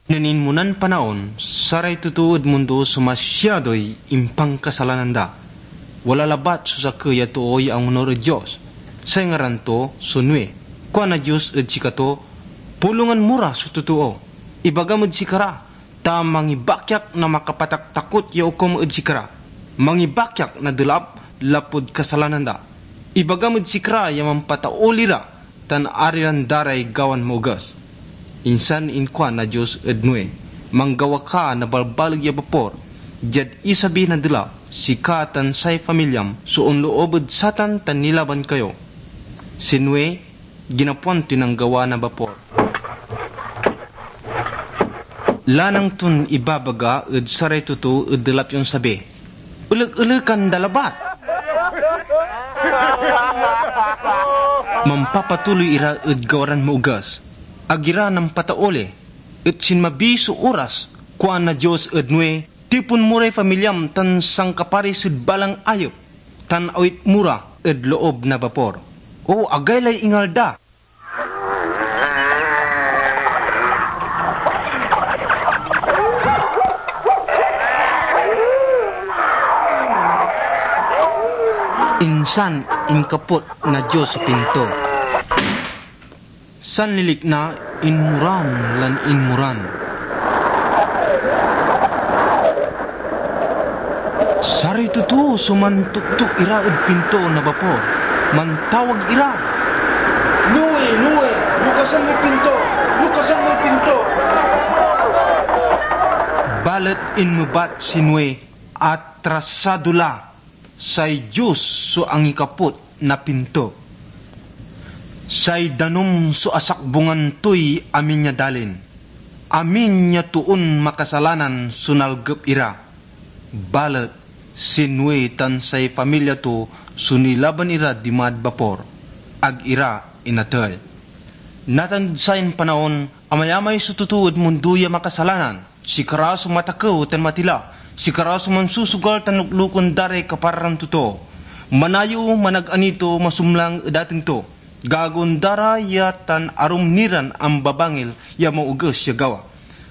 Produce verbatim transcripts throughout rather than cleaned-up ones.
Nen inmonan panaon, saray totoo ed mundo so masiadoy impankasalanan da. Wala labat so sakey a too ya angonur ed Dios. Say ngaran to so Noe. Kuan na Dios ed sikato, "Pulongan mo ra so totoo. Ibagam ed sikara, ta mangibakyak na makapataktakot ya okum ed sikara. Mangibakyak na delap lapud kasalanan da. Ibagam ed sikara ya mampatauli ra, tan arian da ray gawan maoges." Insan inkuan na Dios ed Noe, "Manggawa ka na balbaleg ya bapor. Diad isabi na delap, sika tan say pamilyam so onloob ed satan tan nilaban kayo." Si Noe, ginapoan toy nanggawa na bapor. Lanang ton ibabaga ed saray totoo ed delap ya onsabi, "Elek-elekan da labat." Mampapatuloy ira ed gawa ran maoges. Ag ira nampatauli, et sinmabi so oras. Kuan na Dios ed Noe, "Tipon mo ray pamilyam tan sankaparis ed balang ayep, tan awit mo ra ed loob na bapor." O, agaylay ingal da. Insan inkapot na Dios so pinto. Sanlilikna, inmuran lan inmuran. Saray totoo so mantuktok ira ed pinto na bapor. Mantawag ira, "Noe, Noe, lukasan moy pinto! Lukasan moy pinto!" Balet inmebat si Noe, "Atrasado la! Say Dios so angikapot na pinto. Say danum so asakbungan toy amin ya dalin. Amin ya toon makasalanan so nalgep ira." Balet si Noe tan say pamilya to so nilaban ira dimad bapor, ag ira inatey. Natan ed sayan panaon, amayamay so totoo ed mundo ya makasalanan. Sikara so matakew tan matila. Sikara so mansusugal tan luklukon da ray kaparaaran totoo. Manayew, managanito, masumlang ed ateng to. Gagawaen da ra ya tan arum ni ran ambabangil ya maoges ya gawa.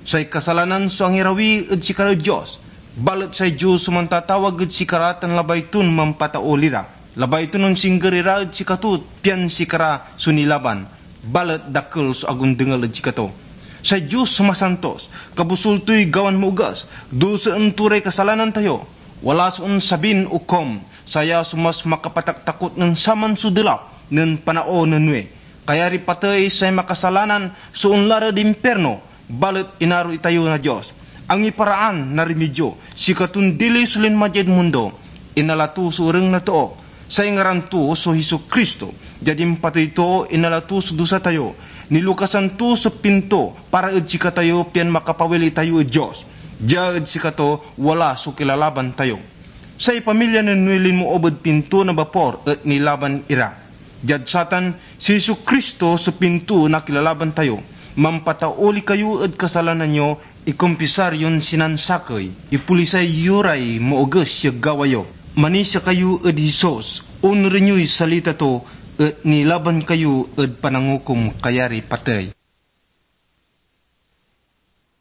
Say kasalanan so angirawi ed sikara ed Dios, balet say Dios so mantatawag ed sikara tan labay ton mampatauli ra. Labay ton onsingger ira ed sikato, pian sikara so nilaban, balet dakel so ag ondengel ed sikato. Say Dios so masantos, kabosul toy gawan maoges, dusaen to ray kasalanan tayo. Wala so onsabin okum, saya so mas makapataktakot nen saman so delap nen panaon nen Noe. Kayariy patey say makasalanan so onla rad impirno, balet inaro itayo na Dios. Angiparaan na rimidyo, sikaton dili so linma diad mundo. Inala to so ereng na too. Say ngaran to so Jesu-Cristo. Diad impatey to, inala to so dusa tayo. Nilukasan to so pinto para ed sikatayo pian makapawil itayo ed Dios. Dia ed sikato, wala so kilalaban tayo. Say pamilya nen Noe linmoob ed pinto na bapor et nilaban ira. Diad satan, si Jesu-Cristo so pinto na kilalaban tayo. Mampatauli kayo ed kasalanan yo, ikompisar yon sinansakey, ipolisay yo ray maoges ya gawa yo. Manisia kayo ed Jesus, onuren yoy salita to, et nilaban kayo ed panangukom kayariy patey.